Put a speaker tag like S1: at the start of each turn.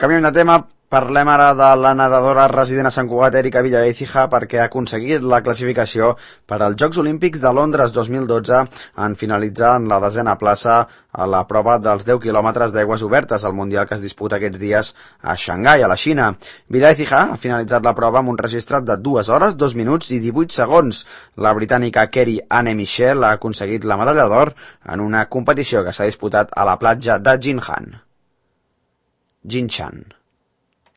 S1: Canviem de tema, parlem ara de la nedadora resident a Sant Cugat, Erika Villaécija, perquè ha aconseguit la classificació per als Jocs Olímpics de Londres 2012 en finalitzar en la 10a plaça a la prova dels 10 quilòmetres d'aigües obertes al Mundial que es disputa aquests dies a Xangai, a la Xina. Villaécija ha finalitzat la prova amb un registre de 2 hores, 2 minuts i 18 segons. La britànica Kerry Anne Michel ha aconseguit la medalla d'or en una competició que s'ha disputat a la platja de Jinshan.